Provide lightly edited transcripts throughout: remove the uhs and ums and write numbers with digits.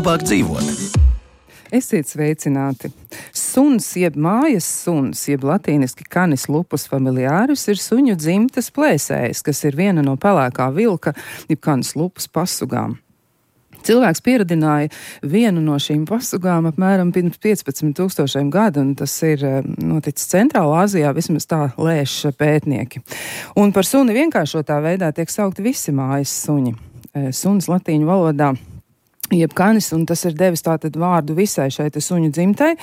labāk dzīvot. Esiet sveicināti! Suns, jeb mājas suns, jeb latīniski canis lupus familiaris, ir suņu dzimtas plēsējs, kas ir viena no pelēkā vilka, jeb canis lupus pasugām. Cilvēks pieradināja vienu no šīm pasugām apmēram pirms 15,000 gadu, un tas ir noticis Centrālā Āzijā, vismaz tā lēš pētnieki. Un par suni vienkāršotā veidā tiek saukti visi mājas suņi. Suns latīņu valodā jeb canis, un tas ir devis tātad vārdu visai šai suņu dzimtai,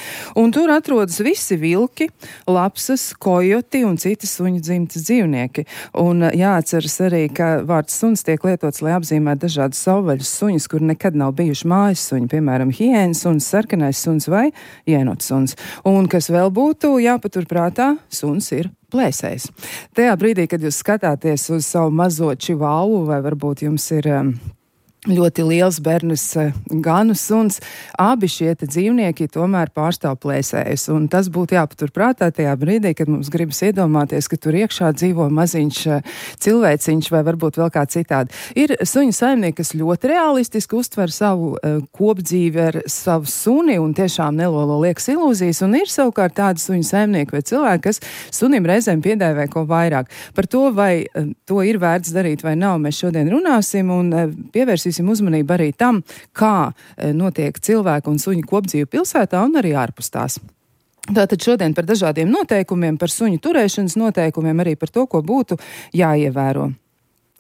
un tur atrodas visi vilki, lapsas, kojoti un citi suņu dzimtas dzīvnieki. Un jāatceras arī, ka vārds suns tiek lietots, lai apzīmētu dažādas savvaļas suņus, kur nekad nav bijuši mājas suņi, piemēram, hiēnas suns, sarkanais suns vai jēnots suns. Un kas vēl būtu jāpaturprātā, suns ir plēsējs. Tajā brīdī, kad jūs skatāties uz savu mazo čivāvu, vai varbūt jums ir ļoti liels bernis ganu suns, abi šie dzīvnieki tomēr pārstāv plēsējus, un tas būtu jāpaturprātā tajā brīdī, kad mums gribas iedomāties, ka tur iekšā dzīvo maziņš cilvēciņš vai varbūt vēl kā citādi. Ir suņu saimnieki, kas ļoti realistiski uztver savu kopdzīvi ar savu suni un tiešām nelolo liekas ilūzijas, un ir savukārt tādi suņu saimnieki vai cilvēki, kas sunim reizēm piedēvē ko vairāk. Par to, vai to ir vērts darīt vai nav, mēs šodien runāsim un pievērsīsim uzmanību arī tam, kā notiek cilvēku un suņu kopdzīve pilsētā un arī ārpus tās. Tātad šodien par dažādiem noteikumiem, par suņu turēšanas noteikumiem, arī par to, ko būtu jāievēro.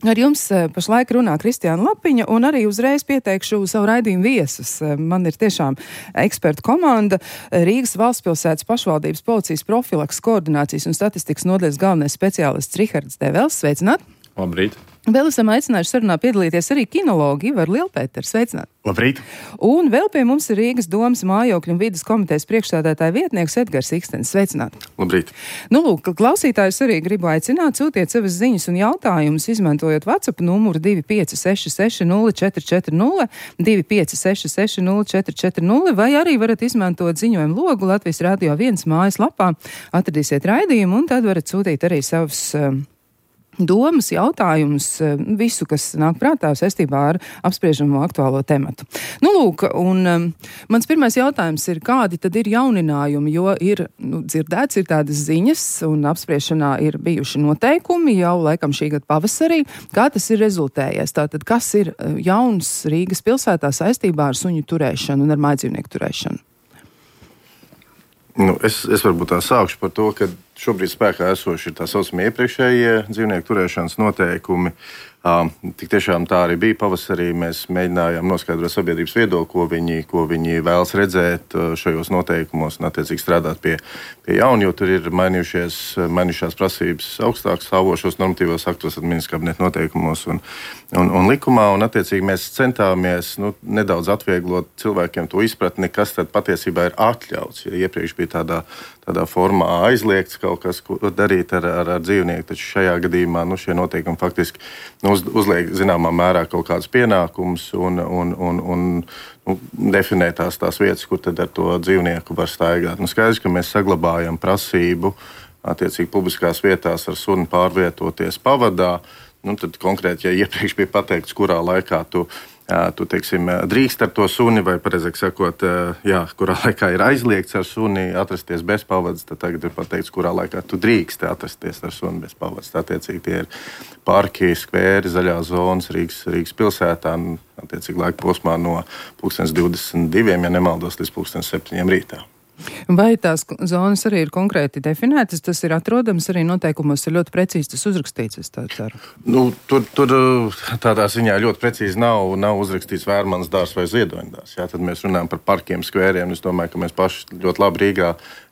Ar jums pašlaik runā Kristiāna Lapiņa, un arī uzreiz pieteikšu savu raidījumu viesus. Man ir tiešām ekspertu komanda, Rīgas valstspilsētas pašvaldības policijas profilaks, koordinācijas un statistikas nodaļas galvenais speciālists Rihards Devels. Sveicināt! Labrīt! Vēl esam aicinājuši sarunā piedalīties arī kinologi Ivaru Lielpēteru. Sveicināt! Labrīt! Un vēl pie mums ir Rīgas domas mājokļu un vides komitejas priekšsēdētāja vietnieks Edgars Ikstens. Sveicināt! Labrīt! Nu, lūk, klausītājus arī gribu aicināt, sūtiet savas ziņas un jautājumus, izmantojot WhatsApp numuru 25660440, 25660440, vai arī varat izmantot ziņojumu logu Latvijas Radio 1 mājaslapā. Atradīsiet raidījumu un tad varat sūtīt arī savus domas, jautājumus, visu, kas nāk prātā saistībā ar apspriežamo aktuālo tematu. Nu, lūk, un mans pirmais jautājums ir, kādi tad ir jauninājumi, jo ir, dzirdēts, ir tādas ziņas un apspriešanā ir bijuši noteikumi jau laikam šī gada pavasarī. Kā tas ir rezultējies? Tātad, kas ir jauns Rīgas pilsētā saistībā ar suņu turēšanu un ar mājdzīvnieku turēšanu? Es varbūt tā sākšu par to, ka šobrīd spēkā esoši ir tā saucamie iepriekšējie dzīvnieku turēšanas noteikumi. Tik tiešām tā arī bija pavasarī. Mēs mēģinājām noskaidrot sabiedrības viedokli, ko viņi vēlas redzēt šajos noteikumos un attiecīgi strādāt pie jauna, jo tur ir mainījušās prasības augstāk stāvošos normatīvos aktos, ministra kabineta noteikumos un likumā. Un attiecīgi mēs centāmies nedaudz atvieglot cilvēkiem to izpratni, kas tad patiesībā ir atļauts. Ja iepriekš bija tādā formā aizliegts kaut kas, ko darīt ar dzīvnieku, taču šajā gadījumā šie noteikumi faktiski uzliek zināmā mērā kaut kādus pienākumus un definē tās vietas, kur tad ar to dzīvnieku var staigāt. Skaidrs, ka mēs saglabājam prasību attiecīgi publiskās vietās ar suni pārvietoties pavadā. Tad konkrēti, ja iepriekš bija pateikts, kurā laikā tu drīkst ar to suni, vai pareizāk sakot, kurā laikā ir aizliegts ar suni atrasties bez pavadas, tad tagad ir pateikts, kurā laikā tu drīkst atrasties ar suni bez pavadas. Attiecīgi tie ir parki, skvēri, zaļās zonas Rīgas pilsētā, attiecīgi laika posmā no 22, ja nemaldos, līdz 7 rītā. Vai tās zonas arī ir konkrēti definētas? Tas ir atrodams arī noteikumos, ir ļoti precīzi tas uzrakstīts, es tā ceru. Tur tādā ziņā ļoti precīzi nav uzrakstīts Vērmanas dārs vai Ziedoņdārs. Tad mēs runājam par parkiem, skvēriem. Es domāju, ka mēs paši ļoti labi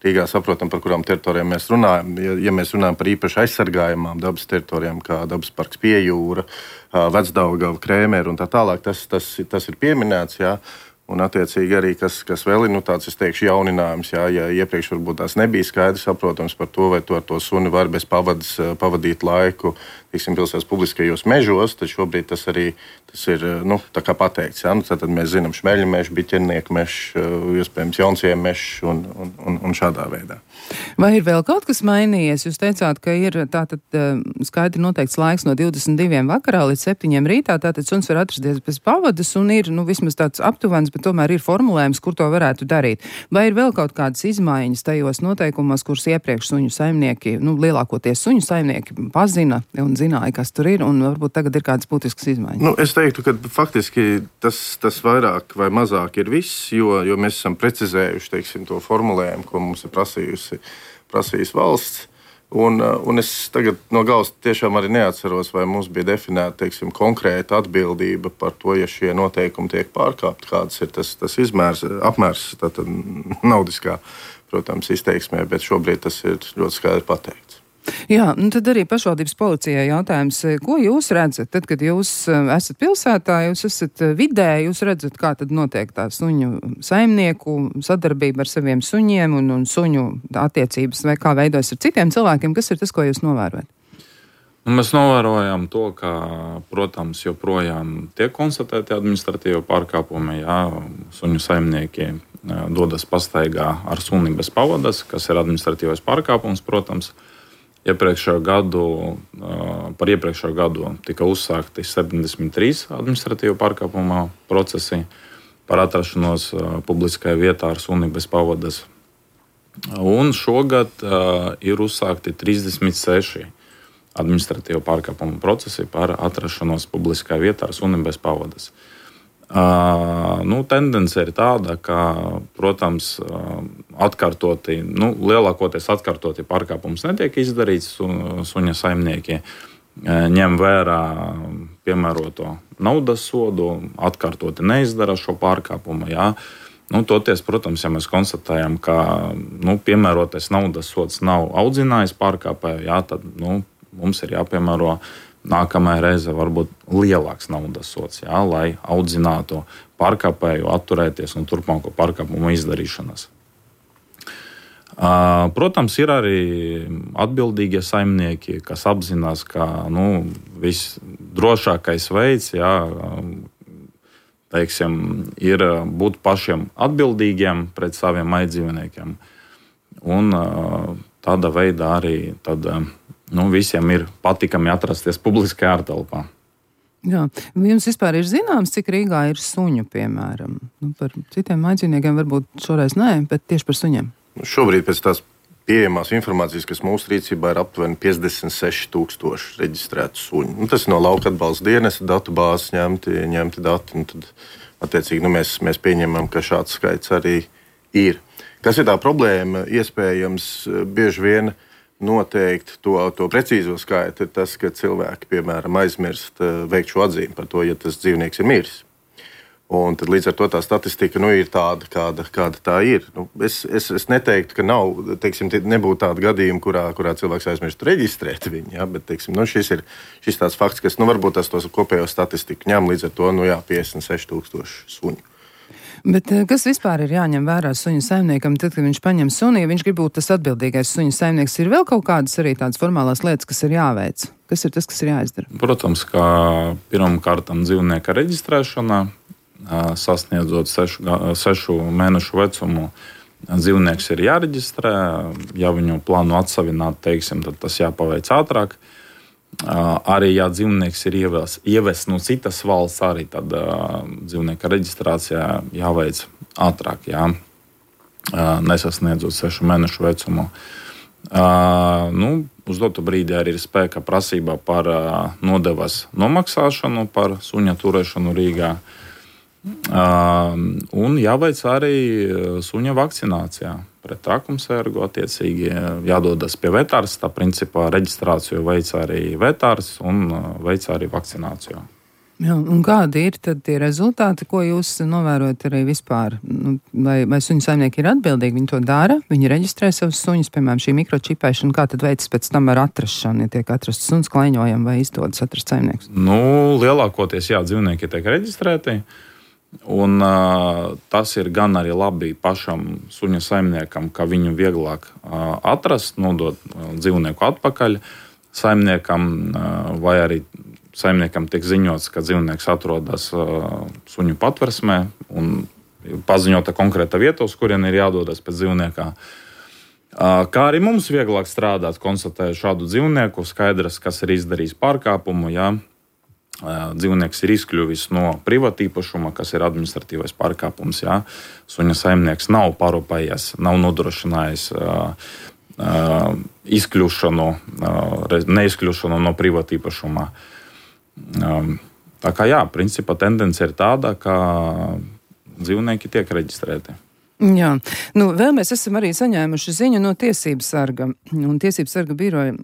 Rīgā saprotam, par kurām teritorijām mēs runājam. Ja mēs runājam par īpaši aizsargājumām dabas teritorijām, kā dabas parks Pie jūra, Vecdaugava, Krēmera un tā tālāk, tas ir pieminēts, jā. Un, attiecīgi, arī kas vēl ir tāds, es teikšu, jauninājums. Ja iepriekš varbūt tās nebija skaidrs, saprotams par to, vai tu ar to suni var bez pavadas pavadīt laiku pilsētas publiskajos mežos, tad šobrīd tas ir tā kā pateikts. Ja? Tad mēs zinām šmeļu mežu, biķernieku mežu, iespējams jaunsiem mežu un šādā veidā. Vai ir vēl kaut kas mainījies? Jūs teicāt, ka ir tātad skaidri noteikts laiks no 22 vakarā līdz 7 rītā, tātad suns var atrasties bez pavadas un ir vismaz tāds aptuvens, bet tomēr ir formulējums, kur to varētu darīt. Vai ir vēl kaut kādas izmaiņas tajos noteikumos, kurus iepriekš suņu saimnieki, lielākoties suņu saimnieki pazina un zināja, kas tur ir, un varbūt tagad ir kādas būtiskas izmaiņas? Es teiktu, ka faktiski tas vairāk vai mazāk ir viss, jo mēs esam precizējuši, teiksim, to formulējumu, ko mums ir prasījis valsts. Un es tagad no galvas tiešām arī neatceros, vai mums bija definēta, teiksim, konkrēta atbildība par to, ja šie noteikumi tiek pārkāpti, kāds ir tas apmērs, tātad naudiskā, protams, izteiksmē, bet šobrīd tas ir ļoti skaidri pateikts. Jā, tad arī pašvaldības policijai jautājums, ko jūs redzat, tad, kad jūs esat pilsētā, jūs esat vidē, jūs redzat, kā tad notiek tā suņu saimnieku sadarbība ar saviem suņiem un suņu attiecības, vai kā veidojas ar citiem cilvēkiem, kas ir tas, ko jūs novērojat? Mēs novērojam to, ka, protams, joprojām tiek konstatēti administratīvi pārkāpumi, suņu saimnieki dodas pastaigā ar suni bez pavadas, kas ir administratīvais pārkāpums, protams. Par iepriekšējo gadu tika uzsākti 73 administratīvu pārkāpumu procesi par atrašanos publiskajā vietā ar suni bez pavadas. Un šogad ir uzsākti 36 administratīvu pārkāpumu procesi par atrašanos publiskajā vietā ar suni bez pavadas. Tendence ir tāda, ka, protams, lielākoties atkārtoti pārkāpums netiek izdarīts. Suņa saimnieki ņem vērā piemēroto naudas sodu, atkārtoti neizdara šo pārkāpumu. Toties, protams, ja mēs konstatējam, ka piemērotais naudas sods nav audzinājis pārkāpēju, tad mums ir jāpiemēro nākamajā reize varbūt lielāks naudas sods, lai audzinātu pārkāpēju atturēties no turpmāko pārkāpumu izdarīšanas. Protams, ir arī atbildīgie saimnieki, kas apzinās, ka visdrošākais veids ir būt pašiem atbildīgiem pret saviem aizdzīvniekiem. Un tādā veidā arī visiem ir patīkami atrasties publiskajā ārtelpā. Jā, jums vispār ir zināms, cik Rīgā ir suņu, piemēram? Par citiem aizdzīvniekiem varbūt šoreiz nē, bet tieši par suņiem. Šobrīd pēc tās pieejamās informācijas, kas mūsu rīcībā ir aptuveni 56,000 reģistrētu suņu. Tas ir no lauka atbalsta dienesta datu bāzes ņemti dati. Tad, attiecīgi, mēs pieņemam, ka šāds skaits arī ir. Kas ir tā problēma? Iespējams, bieži vien noteikt to precīzo skaitu ir tas, ka cilvēki, piemēram, aizmirst veikt šo atzīmi par to, ja tas dzīvnieks ir miris. Un tad līdz ar to tā statistika ir tāda, kāda tā ir. Es neteiktu, ka nebūtu tāda gadījuma, kurā cilvēks aizmirst reģistrēt viņu, bet šis tāds fakts, kas varbūt tas kopējo statistiku ņem līdz ar to 56,000 suņu. Bet kas vispār ir jāņem vērā suņu saimniekam, tad, kad viņš paņem suni, ja viņš grib būt tas atbildīgais suņu saimnieks, ir vēl kaut kādas arī tādas formālās lietas, kas ir jāveic? Kas ir tas, kas ir jāizdara? Protams, ka pirmkārtam dzīvnieka reģistrēšanā, sasniedzot 6 mēnešu vecumu, dzīvnieks ir jāreģistrē. Ja viņu plāno atsavināt, tad tas jāpaveic ātrāk. Arī, ja dzīvnieks ir ievests no citas valsts, arī tad dzīvnieka reģistrācijā jāveic ātrāk, nesasniedzot 6 mēnešu vecumu. Uz dotu brīdi arī ir spēka prasība par nodevas nomaksāšanu par suņa turēšanu Rīgā. Un jāveic arī suņa vakcinācijā pret trakumsērgu. Attiecīgi jādodas pie vetārs. Tā principā reģistrāciju veic arī vetārs un veic arī vakcināciju. Jā, un kādi ir tad tie rezultāti, ko jūs novērojat arī vispār? Vai suņu saimnieki ir atbildīgi? Viņi to dara, viņi reģistrē savus suņus, piemēram, šī mikročipēšana, kā tad veids pēc tam ar atrašanu, ja tiek atrasts suns klaiņojam vai izdodas atrast saimnieks? Lielākoties, dzīvnieki tiek reģistrēti. Un tas ir gan arī labi pašam suņa saimniekam, ka viņu vieglāk atrast, nodot dzīvnieku atpakaļ. saimniekam, vai arī saimniekam tiek ziņots, ka dzīvnieks atrodas suņu patversmē un paziņota konkrēta vieta, uz kurien ir jādodas pēc dzīvniekā. Kā arī mums vieglāk strādāt, konstatējot šādu dzīvnieku, skaidrs, kas ir izdarījis pārkāpumu, ja dzīvnieks ir izkļuvis no privātīpašuma, kas ir administratīvais pārkāpums, ja suņa saimnieks nav parūpējies, nav nodrošinājis neizkļūšanu no privātīpašuma. Tā kā principā tendence ir tāda, ka dzīvnieki tiek reģistrēti. Jā, vēl mēs esam arī saņēmuši ziņu no Tiesības sarga. Un Tiesības sarga biroja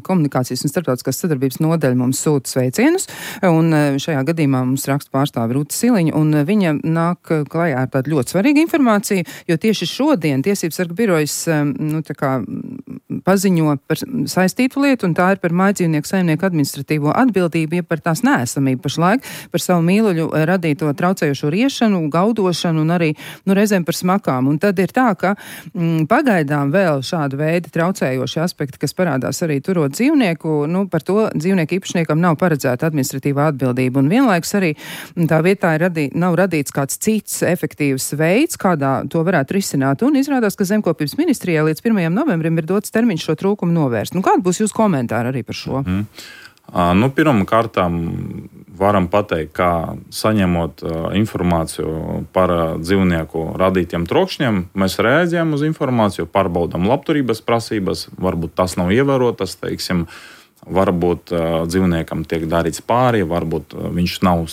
komunikācijas un starptautiskās sadarbības nodaļa mums sūta sveicienus. Un šajā gadījumā mums raksta pārstāve Rūta Siliņa. Un viņa nāk klajā ar tādu ļoti svarīgu informāciju, jo tieši šodien Tiesības sarga birojas paziņo par saistītu lietu, un tā ir par mājdzīvnieku saimnieku administratīvo atbildību, ja par tās neesamību pašlaik, par savu mīluļu radīto traucējošo riešanu, gaudošanu un arī reizēm par makām. Un tad ir tā, ka pagaidām vēl šāda veida traucējoši aspekti, kas parādās arī turot dzīvnieku, par to dzīvnieku īpašniekam nav paredzēta administratīvā atbildība. Un vienlaikus arī tā vietā nav radīts kāds cits efektīvs veids, kādā to varētu risināt. Un izrādās, ka Zemkopības ministrijā līdz 1. novembrim ir dots termiņš šo trūkumu novērst. Kāda būs jūsu komentāri arī par šo? Pirmām kārtām varam pateikt, ka saņemot informāciju par dzīvnieku radītiem trokšņiem, mēs reaģējam uz informāciju, pārbaudām labturības prasības, varbūt tas nav ievērotas, varbūt dzīvniekam tiek darīts pāri, varbūt viņš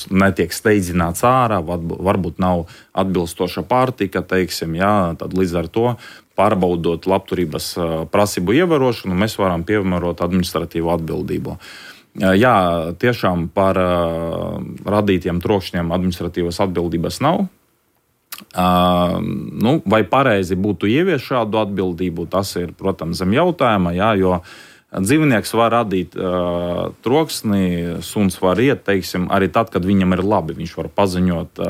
netiek steidzināts ārā, varbūt nav atbilstoša pārtika, tad līdz ar to pārbaudot labturības prasību ievērošanu, mēs varam piemērot administratīvu atbildību. Jā, tiešām par radītiem trokšņiem administratīvas atbildības nav. Vai pareizi būtu ieviest šādu atbildību, tas ir, protams, zem jautājuma, jo dzīvnieks var radīt troksni, suns var iet, arī tad, kad viņam ir labi. Viņš var paziņot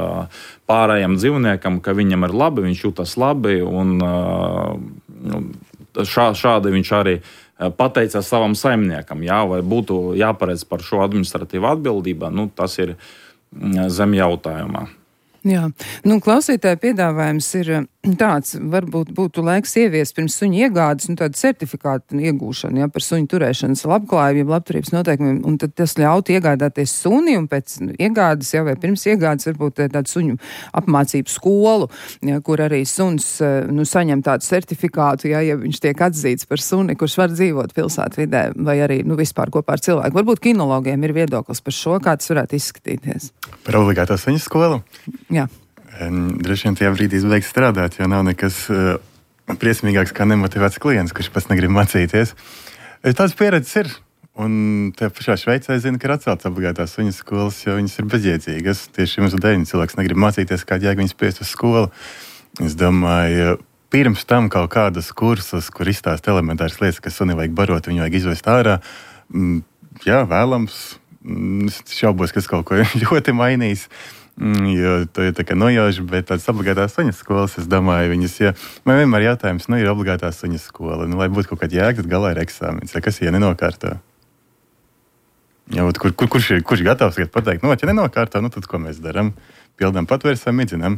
pārējiem dzīvniekam, ka viņam ir labi, viņš jūtas labi, un šādi viņš arī pateicās savam saimniekam, vai būtu jāparedz par šo administratīvu atbildību, tas ir zem jautājumā. Jā, klausītāja piedāvājums ir tāds, varbūt būtu laiks ieviest pirms suņa iegādes, tādu certifikātu iegūšanu, par suņu turēšanas labklājību, labturības noteikumiem, un tad tas ļautu iegādāties suni, un pēc iegādes, vai pirms iegādes varbūt tādu suņu apmācību skolu, kur arī suns, saņem tādu certifikātu, ja viņš tiek atzīts par suni, kurš var dzīvot pilsētvidē, vai arī, vispār kopā ar cilvēku. Varbūt kinologiem ir viedoklis par šo, kā tas varētu izskatīties. Par obligāto suņu skolu? Jā. Droši vien tajā brīdī beigas strādāt, jo nav nekas briesmīgāks kā nemotivēts klients, kurš pats negrib mācīties. Tāds pieredzes ir. Un tajā pašā Šveicē zina, ka ir atceltas obligātās suņu skolas, jo viņas ir bezjēdzīgas. Tieši mums dēļ cilvēks negrib mācīties, kāda jēga viņas spiest uz skolu. Es domāju, pirms tam kaut kādas kursus, kur izstāst elementāras lietas, kas suni vajag barot, viņu vajag izvest ārā. Jā, vēlams. Es šaubos, kas kaut ko ļoti mainīs. Jo to ir tā kā nojauši, bet tādas obligātās suņu skolas, es domāju, viņas, man vienmēr jautājums, ir obligātā suņu skola, lai būtu kaut kāda jēga, tad galā ir eksāmens, kas nenokārto. Kurš gatavs pateikt, ja nenokārto, tad ko mēs darām? Pildām patvērsam, midzinām.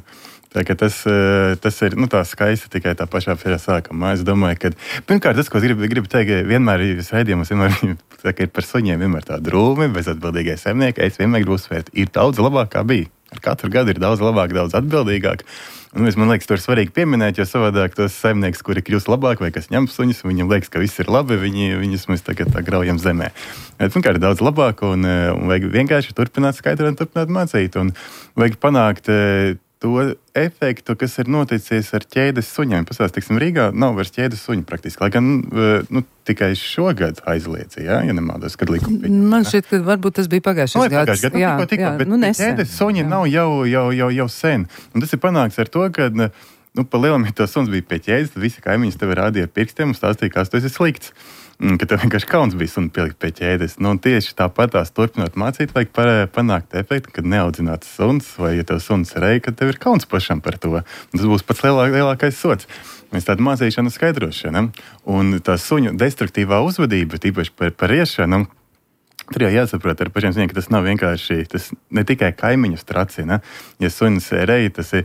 Tā ka tas ir tā skaisti tikai tā pašā sākumā. Es domāju, ka pirmkārt tas, ko es gribu teikt, vienmēr raidījumos ir par suņiem vienmēr tā drūmi, bezatbildīgai saimnieki. Es vienmēr gribu uzsvērt, ir daudz labāk kā bija. Ar katru gadu ir daudz labāk, daudz atbildīgāk. Un man liekas, to ir svarīgi pieminēt, jo savādāk tos saimnieks, kuri kļūst labāk vai kas ņem suņus, viņam liekas, ka viss ir labi, viņus mēs tagad tā graujam zemē. Pirmkārt, ir daudz labāk un vajag vienkārši turpināt skaidrot un turpināt mācīt. Un vajag panākt to efektu, kas ir noticis ar ķēdes suņiem. Pastāst, Rīgā nav vairs ķēdes suņu praktiski, lai gan tikai šogad aizliedzīja, ja nemaldos, kad likuma bija. Man šķiet, ka varbūt tas bija pagājušais gads. Tikko, bet ķēdes suņi nav jau sen. Un tas ir panāks ar to, ka pa lielam, ja tas suns bija pie ķēdes, tad visi kaimiņas tevi rādīja ar pirkstiem un stāstīja, kas tu esi slikts. ka tev vienkārši kauns bija suni pielikt pie ķēdes. Nu, un tieši tāpatās turpinot mācīt, vajag panākt efektu, kad neaudzināts suns, vai ja tev suns reja, kad tev ir kauns pašam par to. Un tas būs pats lielākais sots. Mēs tādu mācīšanu skaidrošanu. Un tā suņu destruktīvā uzvedība, tīpaši par riešanu, tur jau jāsaprot ar pašiem suņiem, ka tas nav vienkārši, tas ne tikai kaimiņu stracina. Ja sunis reja, tas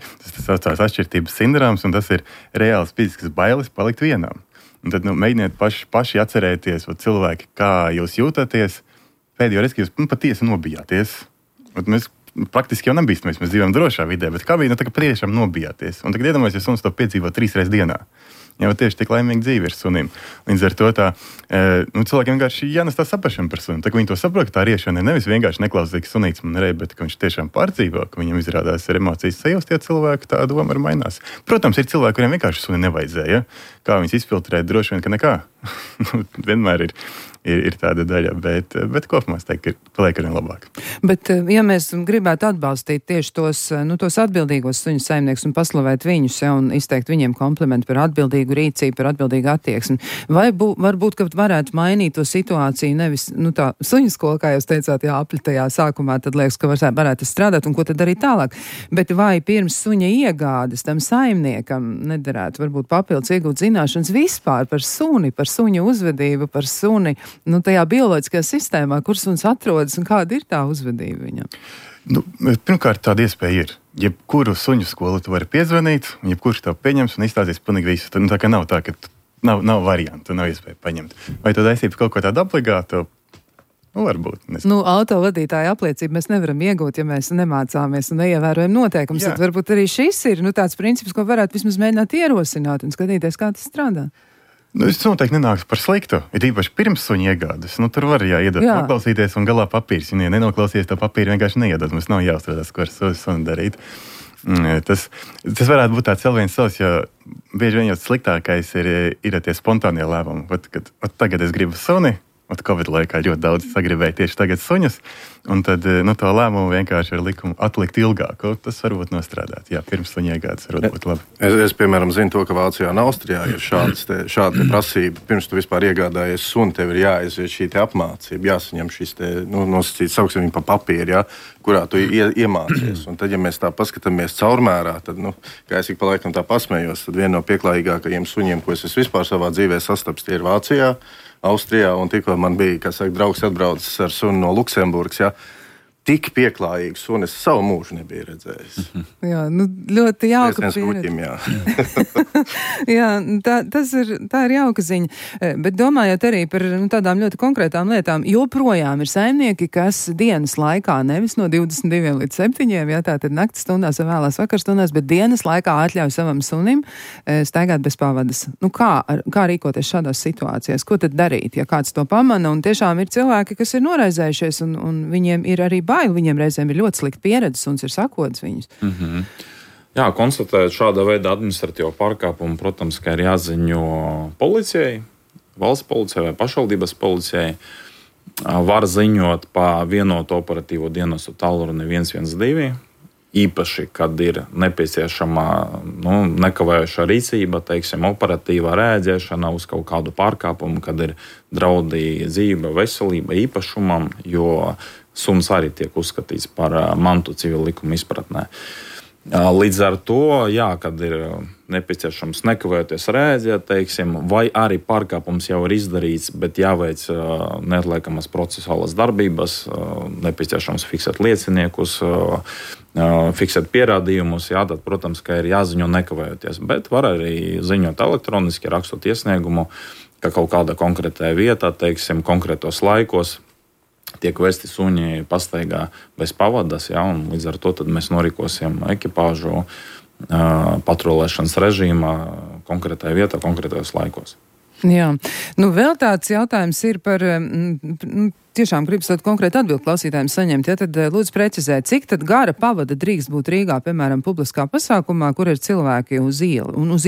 saucās atšķirtības sindroms, un tas ir reāls fizisks bailes palikt vienam. Un tad mēģiniet paši atcerēties, cilvēki, kā jūs jūtaties. Pēdējo reizi, ka jūs patiesi nobijāties. Mēs praktiski jau nebīstamies, mēs dzīvojam drošā vidē, bet kā bija, tā kā priešām nobijāties. Un tagad iedomājieties, ja suns to piedzīvo 3 reizes dienā. Jau tieši tik laimīga dzīve ir sunim. Līdz ar to cilvēkiem vienkārši jānes tā saprašana par sunim. Tā kā viņi to saprot, ka tā riešana ir nevis vienkārši neklausīgs sunīts man reja, bet ka viņš tiešām pārdzīvo, ka viņam izrādās ar emocijas sajūst, tie cilvēki tā doma arī mainās. Protams, ir cilvēki, kuriem vienkārši suni nevajadzēja. Kā viņus izfiltrēt, droši vien, ka nekā. Vienmēr ir tāda daļa, bet kopumā es teiktu, ka paliek arī labāk. Bet, ja mēs gribētu atbalstīt tieši tos atbildīgos suņu saimniekus un paslavēt viņus, un izteikt viņiem komplimentu par atbildīgu rīcību, par atbildīgu attieksmi, vai varbūt, ka varētu mainīt to situāciju, nevis, tā suņu skola, kā jūs teicāt, apļitajā sākumā, tad liekas, ka varētu strādāt, un ko tad darīt tālāk. Bet vai pirms suņa iegādes tam saimniekam nederētu varbūt papildus iegūt zināšanas vispār par suni, par suņu uzvedību, par suni, tajā bioloģiskajā sistēmā, kur suns atrodas un kāda ir tā uzvedība viņam? Pirmkārt, tāda iespēja ir. Jebkuru suņu skolu tu vari piezvanīt, un jebkurš tev pieņems un izstāstīs pilnīgi visu. Tā kā nav tā, ka nav variantu, nav iespēja paņemt. Vai tu taisītu kaut ko tādu obligātu? Varbūt. Autovadītāja apliecību mēs nevaram iegūt, ja mēs nemācāmies un neievērojam noteikumus. Tad varbūt arī šis ir tāds princips, ko varētu vismaz mēģināt ierosināt un skatīties, kā tas strādā. Es noteikti nenāks par sliktu. Ir īpaši pirms suņa iegādes. Tur var iedot noklausīties un galā papīrs. Ja nenoklausies, to papīru vienkārši neiedod. Mums nav jāuztraucas, ko ar suni darīt. Tas varētu būt tāds vēl viens savs, jo bieži vien jau sliktākais ir tie spontānie lēmumi. Tagad es gribu suni. Covid laikā ļoti daudz sagribēja tieši tagad suņus, un tad to lēmumu vienkārši ar likumu atlikt ilgāk. Tas varbūt nostrādāt. Jā, pirms suņa iegādes varbūt būt labi. Es, piemēram, zinu to, ka Vācijā un Austrijā ir šāda prasība. Pirms tu vispār iegādājies suni, tev ir jāaiziet šī apmācība, jāsaņem šis nosacīts, sauksim viņu pa papīru, kurā tu iemācies. Un tad, ja mēs tā paskatāmies caurmērā, tad, kā es ik pa laikam tā pasmējos, tad viena no pieklājīgākajiem suņiem, ko es vispār savā dzīvē sastaps, tie ir Vācijā, Austrijā, un tikko man bija, draugs atbraucis ar suni no Luksemburgas, tik pieklājīgu suni es savu mūžu nebiju redzējis. Jā, ļoti jauka pieredze. Tā ir jauka ziņa. Bet domājot arī par tādām ļoti konkrētām lietām, joprojām ir saimnieki, kas dienas laikā, nevis no 22 līdz 7, tātad naktas stundās vai vēlās vakarstundās, bet dienas laikā atļauj savam sunim staigāt bez pavadas. Kā rīkoties šādās situācijās? Ko tad darīt, ja kāds to pamana? Un tiešām ir cilvēki, kas ir noraizējušies, un viņiem ir arī bail. Viņiem reizēm ir ļoti slikta pieredze, un ir sakodas viņus. Mm-hmm. Jā, konstatējot šāda veida administratīvo pārkāpumu, protams, ka ir jāziņo policijai, valsts policijai vai pašvaldības policijai. Var ziņot pa vienotu operatīvo dienestu tālruni 112, īpaši, kad ir nepieciešama nekavējoša rīcība, operatīvā rēģēšana uz kaut kādu pārkāpumu, kad ir draudi dzīve, veselība, īpašumam, jo suns arī tiek uzskatīts par mantu civila likuma izpratnē. Līdz ar to, kad ir nepieciešams nekavējoties rēģēt, vai arī pārkāpums jau ir izdarīts, bet jāveic neatliekamas procesuālas darbības, nepieciešams fiksēt lieciniekus, fiksēt pierādījumus, tad, protams, ka ir jāziņo nekavējoties. Bet var arī ziņot elektroniski, rakstot iesniegumu, ka kaut kāda konkrētā vietā, konkrētos laikos, tiek vesti suņi pastaigā bez pavadas, un līdz ar to mēs norīkosim ekipāžu patrulēšanas režīmā konkrētajā vietā, konkrētajos laikos. Jā. Vēl tāds jautājums ir par, tiešām gribas tādu konkrētu atbildi klausītājiem saņemt, tad lūdzu precizēt, cik tad gara pavada drīkst būt Rīgā, piemēram, publiskā pasākumā, kur ir cilvēki uz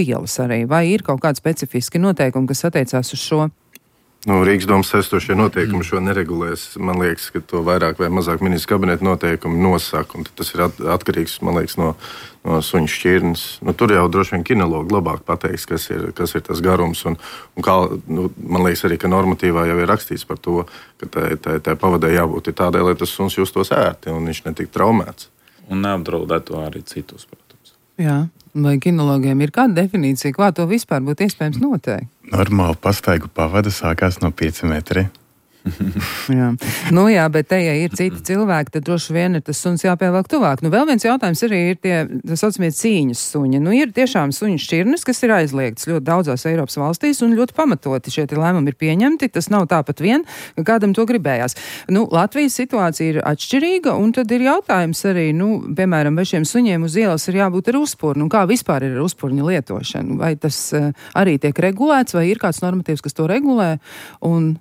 ielas arī, vai ir kaut kādi specifiski noteikumi, kas attiecās uz šo? Rīgas domas esošie noteikumi šo neregulēs. Man liekas, ka to vairāk vai mazāk ministra kabineta noteikumi nosaka. Tas ir atkarīgs, man liekas, no suņu šķirnes. Tur jau droši vien kinologi labāk pateiks, kas ir tas garums. Un kā, man liekas arī, ka normatīvā jau ir rakstīts par to, ka tai pavadē jābūt tādai, lai tas suns justos ērti un viņš netiktu traumēts. Un neapdraudētu arī citus, protams. Jā. Vai kinologiem ir kāda definīcija, kā to vispār būtu iespējams noteikt? Normāli pastaigu pavada sākās no 5 metri. Jā, bet te, ja ir citi cilvēki, tad droši vien ir tas suns jāpievelk tuvāk. Vēl viens jautājums arī ir tie, tā saucamie cīņas suņi. Ir tiešām suņu šķirnes, kas ir aizliegtas ļoti daudzās Eiropas valstīs un ļoti pamatoti šie lēmumi ir pieņemti. Tas nav tāpat vien, ka kādam to gribējās. Latvijas situācija ir atšķirīga, un tad ir jautājums arī, piemēram, vai šiem suņiem uz ielas ir jābūt ar uzpurnu, un kā vispār ir ar uzpurņa lietošanu. Vai tas arī tiek regulēts, vai ir kāds normatīvs, kas to regulē, un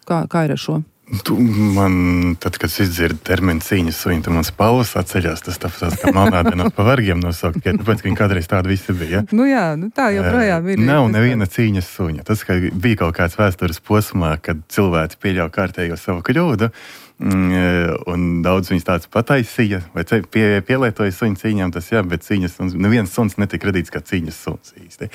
kā ir ar šo? Tad, kad es izdzirdu terminu cīņas suņi, tad man spalvas atceļās. Tas tāpēc kā melnādienos pa vargiem nosaukt, tāpēc, ka viņi kādreiz tādi visi bija. Tā joprojām ir. Nav neviena cīņas suņa. Tas, ka bija kaut kāds vēstures posmā, kad cilvēki pieļauj kārtējo savu kļūdu, un daudz viņus tāds pataisīja, vai pielietoja suņu cīņām, tas jā, bet cīņas suns, neviens suns netika radīts kā cīņas suns īsti.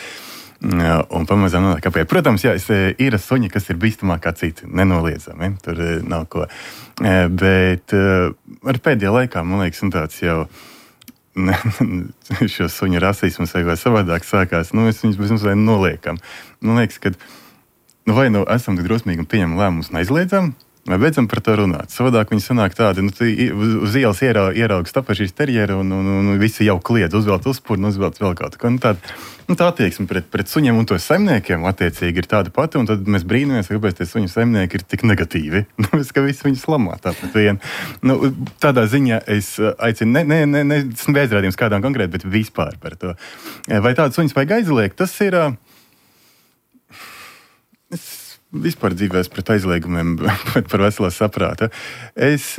Un pamazām nonāk apēj. Protams, jā, ir suņi, kas ir bīstamāk kā citi, nenoliedzami, tur nav ko. Bet ar pēdējā laikā, man liekas, tāds jau šo suņu rasismus vai savādāk sākās, es viņus bez mums noliekam. Man liekas, ka vai esam tik drosmīgi un pieņemam lēmumus un aizliedzam, vai beidzam par to runāt. Savādāk viņi sanāk tādi, uz ielas ierauga stapašīs terjeri un visi jau kliedz, uzvelt uzpurnu, uzvelt vēl kaut ko. Tā attieksme pret suņiem un to saimniekiem attiecīgi ir tāda pati, un tad mēs brīnamies, kāpēc tie suņu saimnieki ir tik negatīvi. Ka visi viņus lamā tāpat vien. Tādā ziņā es aicinu, neizrādījums kādām konkrēti, bet vispār par to. Vai tādu suņus vajag aizliegt? Tas ir... Vispār dzīvēs pret aizliegumiem par veselā saprāta. Es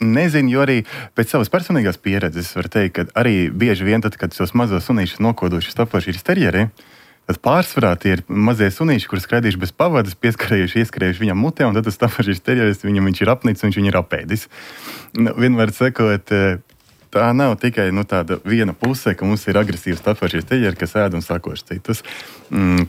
nezinu, jo arī pēc savas personīgās pieredzes var teikt, ka arī bieži vien tad, kad tos mazos sunīšus nokodoši stapošīs terjeri, tad pārsvarā tie ir mazie sunīši, kurus skraidījuši bez pavadas, ieskrējuši viņam mutē, un tad tas stapošīs terjeris, viņš ir apnicis, viņš viņu ir apēdis. Vienmēr sakot, tā nav tikai tāda viena puse, ka mums ir agresīvs stapošīs terjeri, kas ēd un sakoši citus,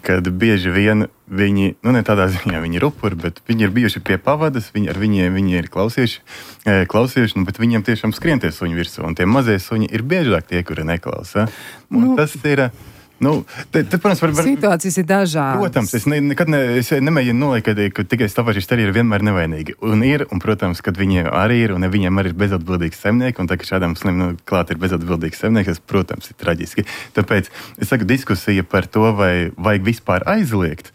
kad bieži vien viņi, ne tādā ziņā viņi ir upuri, bet viņi ir bijuši pie pavadas, viņi ir klausījuši, bet viņiem tiešām skrien tie suņi virsū, un tie mazie suņi ir biežāk tie, kuri neklausa. Un tas ir... protams, situācijas ir dažādas. Protams, es nekad nemēģinu noliekt, ka tikai stapošīs terjeri ir vienmēr nevainīgi. Un protams, kad viņiem arī ir, un viņiem arī ir bezatbildīgs saimnieki, un tā, ka šādām sunim klāt ir bezatbildīgs saimnieks, tas, protams, ir traģiski. Tāpēc es saku, diskusija par to, vai vajag vispār aizliegt,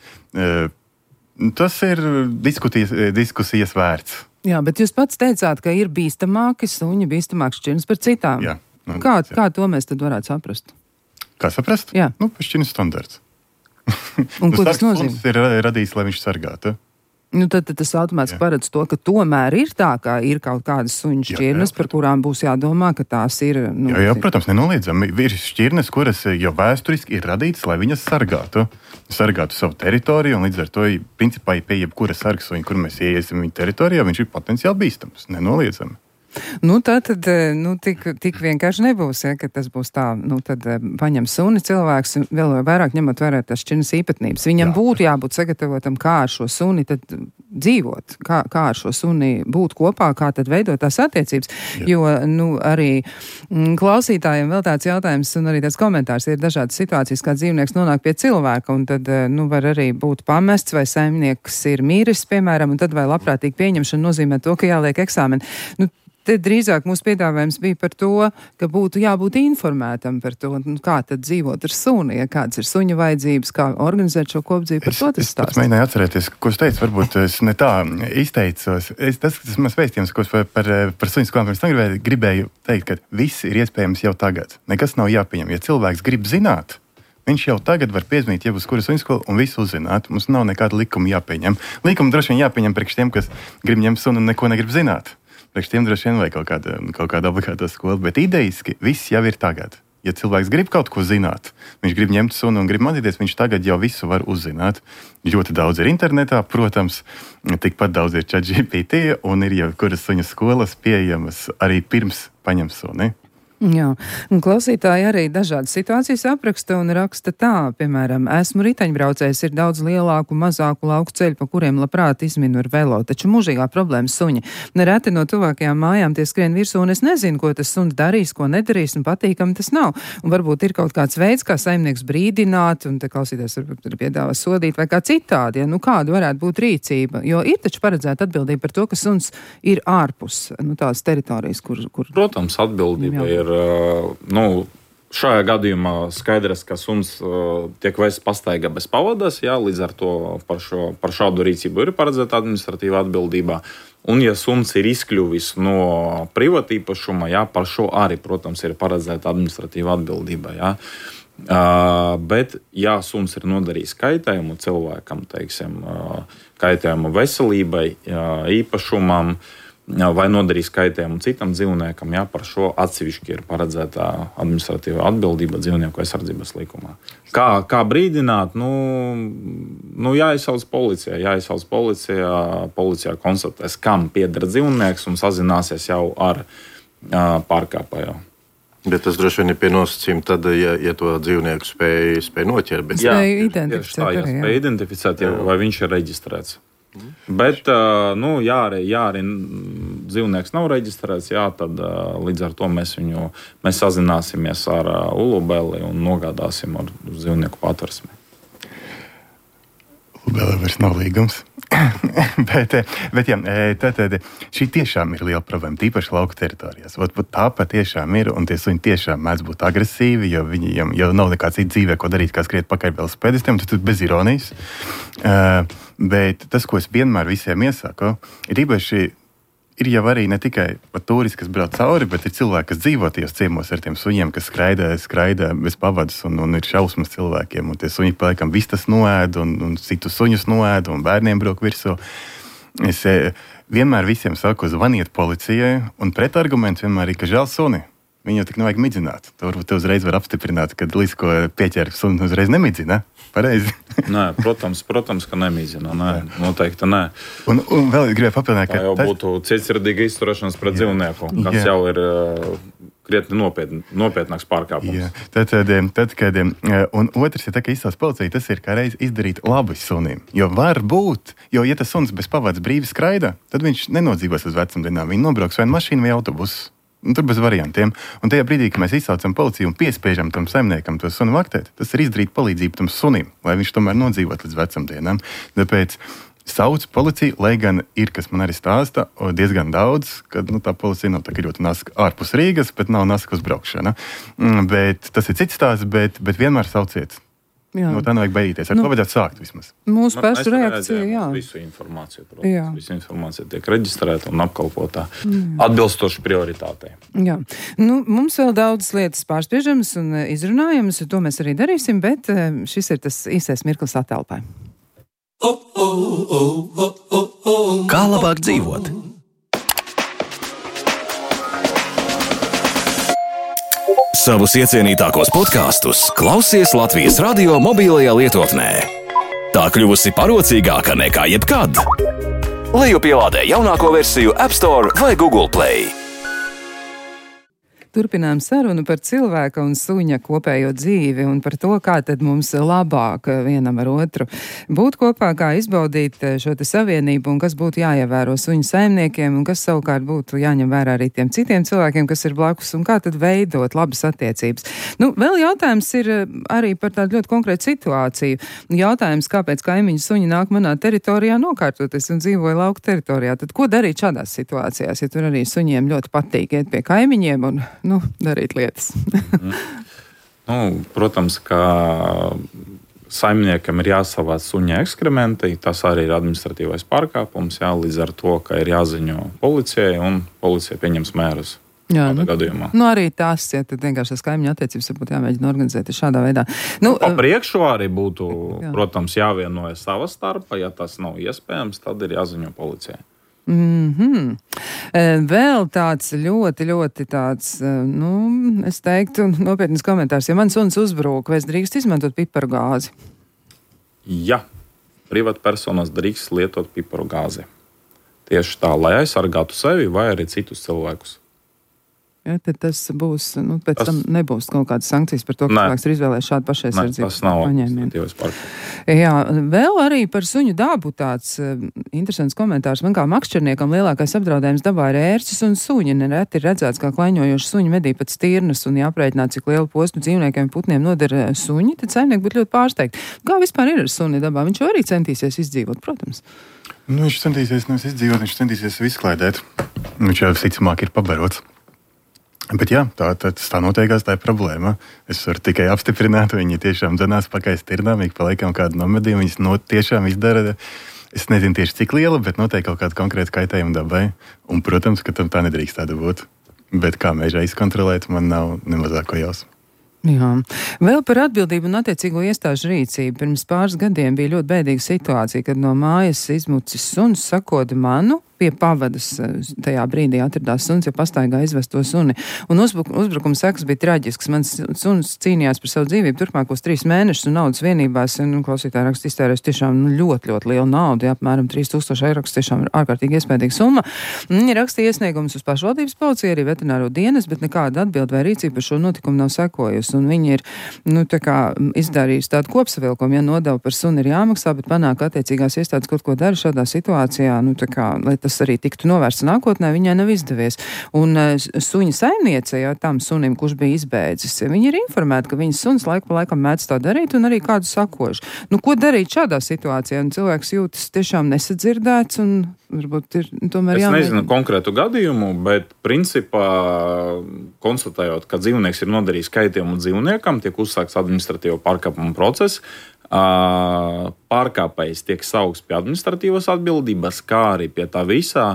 tas ir diskusijas vērts. Jā, bet jūs pats teicāt, ka ir bīstamāki suņi, bīstamāks šķirnes par citām. Jā. Kā to mēs tad varētu saprast? Kā saprast? Jā. Šķirnes standarts. Un ko tas nozīmē? Ir radījis, lai viņš sargātu. Tad tas automātiski paredz to, ka tomēr ir tā, ka ir kaut kādas suņu šķirnes, par kurām būs jādomā, ka tās ir... Jā, protams, nenoliedzami. Ir šķirnes, kuras jau vēsturiski ir radītas, lai viņas sargātu savu teritoriju, un līdz ar to, principā, pie jebkura sargsuņa, kur mēs ieiesim viņa teritorijā, viņš ir potenciāli bīstams, nenoliedzami. Tik vienkārši nebūs, ja, ka tas būs tā, tad paņem suni cilvēks, vēl vairāk ņemot vērā tās šķirnes īpatnības. Viņam būtu jābūt sagatavotam, kā ar šo suni tad dzīvot, kā ar šo suni būt kopā, kā tad veidot tās attiecības. Jā. Jo, arī klausītājiem vēl tāds jautājums un arī tāds komentārs ir dažādas situācijas, kā dzīvnieks nonāk pie cilvēka, un tad, var arī būt pamests, vai saimnieks ir mīris, piemēram, un tad vai labprātīgi pieņemšana nozīmē to, ka jāliek eksāmeni. Te drīzāk mūsu piedāvājums bija par to, ka būtu jābūt informētam par to, kā tad dzīvot ar suni, ja kādas ir suņa vajadzības, kā organizēt šo kopdzīvi. Par to tas stāst. Es mēģināju atcerēties, ko es teicu, varbūt es ne tā izteicos. Tas mans vēstījums, ko par suņu skolām pirms tam gribēju teikt, ka viss ir iespējams jau tagad. Nekas nav jāpieņem. Ja cilvēks grib zināt, viņš jau tagad var piezvanīt jebkuru kuras suņu skolu un visu uzzināt. Mums nav nekāda likuma jāpieņem. Likuma droši vien jāpieņem priekš tiem, kas grib ņemt suni un neko negrib zināt. Priekš tiem droši vien vai kaut kāda obligāta skola, bet ideiski viss jau ir tagad. Ja cilvēks grib kaut ko zināt, viņš grib ņemt sunu un grib mācīties, viņš tagad jau visu var uzzināt. Ļoti daudz ir internetā, protams, tikpat daudz ir ChatGPT un ir jau kuras suņu skolas pieejamas arī pirms paņem suni. Jā, un klausītāji arī dažādas situācijas apraksta un raksta tā, piemēram, esmu riteņbraucējs, ir daudz lielāku, mazāku lauku ceļu, pa kuriem labprāt izminu ar velo, taču mūžīgā problēma suņi. Nereti no tuvākajām mājām tie skrien virsū, un es nezinu, ko tas suns darīs, ko nedarīs, un patīkam tas nav. Un varbūt ir kaut kāds veids, kā saimnieks brīdināt, un te klausītājs varbūt piedāvā sodīt, vai kā citādi, ja, nu kāda varētu būt rīcība, jo ir taču paredzēta atbildība par to, ka suns ir ārpus, nu tās teritorijas, kur... Protams, atbildība ir. Šajā gadījumā skaidrs, ka suns tiek vests pastaigā bez pavadas, jā, līdz ar to par šādu rīcību ir paredzēta administratīva atbildība. Un, ja suns ir izkļuvis no privātīpašuma, jā, par šo arī, protams, ir paredzēta administratīva atbildība. Jā. Bet, ja suns ir nodarījis kaitējumu cilvēkam, teiksim, kaitējumu veselībai, īpašumam, vai nodarīs kaitējumu citam dzīvniekam, jā, par šo atsevišķi ir paredzēta administratīva atbildība dzīvnieku aizsardzības likumā. Kā brīdināt? Jāizsauc policijā, policijā konstatēs, kam pieder dzīvnieks un sazināsies jau ar pārkāpēju. Bet tas droši vien ir pie nosacījuma tad, ja to dzīvnieku spēj noķert. Spēj identificēt, vai viņš ir reģistrēts. Bet, ja arī dzīvnieks nav reģistrēts, jā, tad līdz ar to mēs sazināsimies ar Ulubeli un nogādāsim ar dzīvnieku patversmi. Ulubelē vairs nav līgums. bet jā, tad šī tiešām ir liela problēma, tīpaši lauku teritorijās. Tā patiešām ir, un tie suņi tiešām mēdz būt agresīvi, jo viņiem jau nav nekā cita dzīvē, ko darīt, kā skriet pakaļ velosipēdistiem, tas bez ironijas. Bet tas, ko es vienmēr visiem iesaku, ir īpaši ir jau arī ne tikai turisti, kas brauc cauri, bet ir cilvēki, kas dzīvo tajos ciemos ar tiem suņiem, kas skraida bez pavadas un ir šausmas cilvēkiem. Un tie suņi paliekam vistas noēd un citus suņus noēd un bērniem brok virsū. Es vienmēr visiem saku, zvaniet policijai, un pretarguments vienmēr ir, ka žēl suni. Viņu tik nevajag midzināt. Te uzreiz var apstiprināt, ka līdz ko pieķer suni uzreiz nemidzina. Pareizi. Nē, protams, ka nemidzina. Nē, noteikti nē. Un vēl gribēju papildināt, ka tā jau būtu cietsirdīga izturēšanās pret dzīvnieku, kas jau ir krietni nopietnāks pārkāpums. Un otrs ir tā, ka izsauc policija, tas ir kā reiz izdarīt labu sunim. Jo var būt, ja tas suns bez pavadas brīvi skraida, tad viņš nenodzīvos uz vecumdienām. Viņi nobrauks vai mašīnu vai autobusu. Tur bez variantiem. Un tajā brīdī, kad mēs izsaucam policiju un piespiežam tam saimniekam to sunu vaktēt, tas ir izdarīt palīdzību tam sunim, lai viņš tomēr nodzīvot līdz vecumdienām. Tāpēc sauc policiju, lai gan ir, kas man arī stāsta, diezgan daudz, kad tā policija nav tā ļoti naska ārpus Rīgas, bet nav naska uz braukšana. Bet tas ir cits stāsts, bet vienmēr sauciet. No tā nevajag baidīties. Ar to vajadzētu sākt vismaz. Mūsu pašu reakcija, jā. Visu informāciju, protams. Visu informācija tiek reģistrēta un apkalpotā atbilstoši prioritātei. Jā. Mums vēl daudzas lietas pārspiežamas un izrunājamas, to mēs arī darīsim, bet šis ir tas īsais mirklis atelpai. Kā labāk dzīvot? Savus iecienītākos podkastus klausies Latvijas radio mobilajā lietotnē. Tā kļuvusi parocīgāka nekā jebkad. Lejupielādē jaunāko versiju App Store vai Google Play. Turpinām sarunu par cilvēka un suņa kopējo dzīvi un par to, kā tad mums labāk vienam ar otru būt kopā, kā izbaudīt šo te savienību un kas būtu jāievēro suņu saimniekiem un kas savukārt būtu jāņem vērā arī tiem citiem cilvēkiem, kas ir blakus un kā tad veidot labas attiecības. Vēl jautājums ir arī par tādu ļoti konkrētu situāciju. Jautājums, kāpēc kaimiņu suņi nāk manā teritorijā nokārtoties un dzīvoja lauku teritorijā. Tad ko darīt šādās situācijās, ja tur arī suņiem ļoti patīk iet pie kaimiņiem un darīt lietas. Protams, ka saimniekam ir jāsavāc suņa ekskrementi. Tas arī ir administratīvais pārkāpums, līdz ar to, ka ir jāziņo policijai un policija pieņems mērus. Jā, gadījumā. Arī tās, ja tad vienkārši tās kaimiņu attiecības varbūt jāmēģina organizēt šādā veidā. Pa priekšu arī būtu, protams, jāvienojas sava starpa. Ja tas nav iespējams, tad ir jāziņo policijai. Vēl tāds ļoti tāds, es teiktu, nopietnas komentārs. Ja man suns uzbrūk, vai es drīkst izmantot piparu gāzi? Ja privātpersonas drīkst lietot piparu gāzi. Tieši tā, lai aizsargātu sevi vai arī citus cilvēkus. Ja, tad tas būs, pēc tam nebūs kaut kādas sankcijas par to, ka cilvēks ir izvēlējis šādu pašaizsardzību. Tas nav administratīvais pārkāpums. Jā, vēl arī par suņu dabu tāds interesants komentārs. Man kā makšķerniekam lielākais apdraudējums dabā ir ērces un suņi. Nereti ir redzēts, kā klaiņojoši suņi medī pat stirnas un jāprēķināt, cik lielu postu dzīvniekiem putniem noder suņi, tad saimnieki būtu ļoti pārsteigti. Kā vispār ir ar suni dabā? Viņš arī centīsies izdzīvot, protams. Viņš centīsies nevis izdzīvot, viņš centīsies izklaidēt. Viņš jau visticamāk ir pabarots. Bet jā, tā noteikās, tā ir problēma. Es varu tikai apstiprināt, viņi tiešām dzenās pakaļ stirnām, ik pa laikam kādu nomedīju, viņas tiešām izdara, es nezinu tieši cik liela, bet noteikti kaut kādu konkrētu kaitējumu dabai. Un, protams, ka tam tā nedrīkst tāda būt. Bet kā mežā izkontrolēt, man nav nemazāko jausmu. Jā. Vēl par atbildību un attiecīgo iestāžu rīcību. Pirms pāris gadiem bija ļoti bēdīga situācija, kad no mājas izmucis suns sakodi manu. Pie pavadas tajā brīdī atradās suns, ja pastaigā izvest to suni. Un uzbrukuma sekas bija traģisks. Mans suns cīnījās par savu dzīvību turpmākos 3 mēnešus un naudas vienībās. Klausītāji raksta iztērēs tiešām ļoti lielu naudu, apmēram 3000 eiro, kas tiešām ir ārkārtīgi iespējīga summa. Viņi rakstīja iesniegumus uz pašvaldības policiju, arī veterināro dienas, bet nekāda atbilde vai rīcība par šo notikumu nav sekojusi. Un viņi ir, izdarījusi tādu kopsavilkumu, ja nodeva par suni ir jāmaksā, bet panāk attiecīgās iestādes kaut ko dara šādā situācijā, lai tas arī tiktu novērsts nākotnē, viņai nav izdevies. Un suņa saimniece, jau tam sunim, kurš bija izbēdzis, viņi ir informēti, ka viņas suns laiku pa laikam mēdz tā darīt un arī kādu sakošu. Ko darīt šādā situācijā? Un cilvēks jūtas tiešām nesadzirdēts un varbūt ir tomēr jāmēģina. Es nezinu konkrētu gadījumu, bet principā konstatējot, ka dzīvnieks ir nodarījis kaitējumu dzīvniekam, tiek uzsākts administratīvo pārkāpumu process. Pārkāpējs tiek saukts pie administratīvas atbildības, kā arī pie tā visā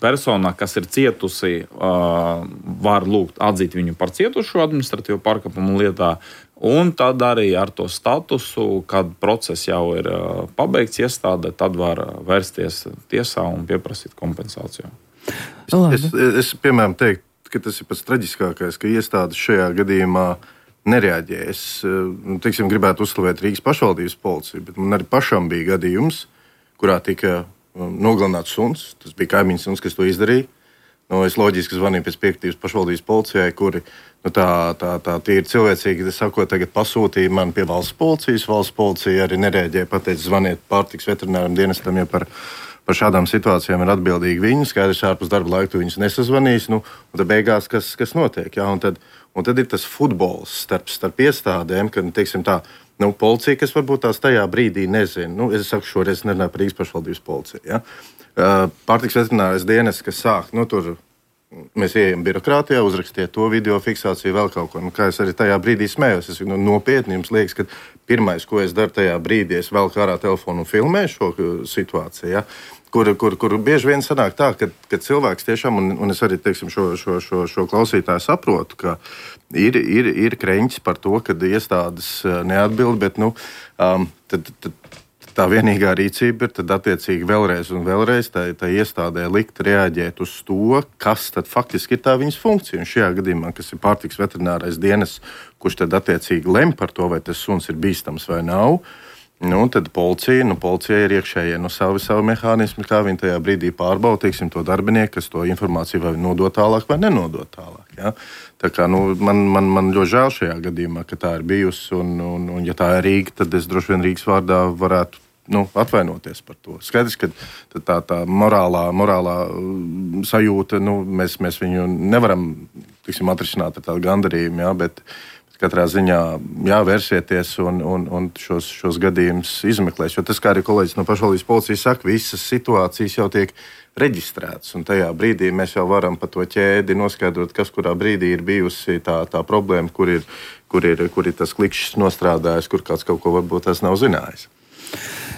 persona, kas ir cietusi, var lūgt atzīt viņu par cietušo administratīvo pārkāpumu lietā, un tad arī ar to statusu, kad process jau ir pabeigts iestāde, tad var vērsties tiesā un pieprasīt kompensāciju. Es piemēram teiktu, ka tas ir pats traģiskākais, ka iestādes šajā gadījumā nereaģē. Es gribētu uzslavēt Rīgas pašvaldības policiju, bet man arī pašam bija gadījums, kurā tika nogalināts suns. Tas bija kaimiņš suns, kas to izdarīja. Es loģiski zvanīju pēc piekritības pašvaldības policijai, kuri tā ir cilvēcīgi, sakot, tagad pasūtīja man pie valsts policijas. Valsts policija arī nereaģēja, pateica, zvaniet pārtiks veterināram dienestam, ja par šādām situācijām ir atbildīgi viņi. Skaidrs, ārpus darba laika tu viņus nesazvanīs. Un tad beigās, kas notiek? Ja? Un tad ir tas futbols starp iestādēm, kad, policija, kas varbūt tās tajā brīdī nezina. Es saku, šoreiz nerunāju par Rīgas pašvaldības policiju. Ja? Pārtiks veterinārais dienests, kas sāk, tur mēs ejam birokrātijā, uzrakstiet to video fiksāciju, vēl kaut ko. Kā es arī tajā brīdī smējos, es nopietni jums liekas, ka pirmais, ko es daru tajā brīdī, es velku ārā telefonu un filmēju šo situāciju. Ja? Kur bieži vien sanāk tā, ka cilvēks tiešām, un es arī šo klausītāju saprotu, ka ir kreņķis par to, ka iestādes neatbild, bet tad tā vienīgā rīcība ir tad attiecīgi vēlreiz un vēlreiz tā iestādē likt reaģēt uz to, kas tad faktiski ir tā viņas funkcija. Un šajā gadījumā, kas ir pārtiks veterinārais dienests, kurš tad attiecīgi lem par to, vai tas suns ir bīstams vai nav. Tad policija ir iekšējie savu mehānismu, kā viņi tajā brīdī pārbauda, to darbinieku, kas to informāciju vai nodot tālāk vai nenodot tālāk. Ja? Tā kā man ļoti žēl šajā gadījumā, ka tā ir bijusi, un ja tā ir Rīga, tad es droši vien Rīgas vārdā varētu atvainoties par to. Skaidrs, ka tā morālā sajūta, mēs viņu nevaram atrisināt ar tādu gandarījumu, ja? Bet katrā ziņā vērsieties un šos gadījumus izmeklēs. Jo tas, kā arī kolēģis no pašvaldības policijas saka, visas situācijas jau tiek reģistrētas. Un tajā brīdī mēs jau varam pa to ķēdi noskaidrot, kas kurā brīdī ir bijusi tā problēma, kur ir tas klikšķis nostrādājis, kur kāds kaut ko varbūt tas nav zinājis.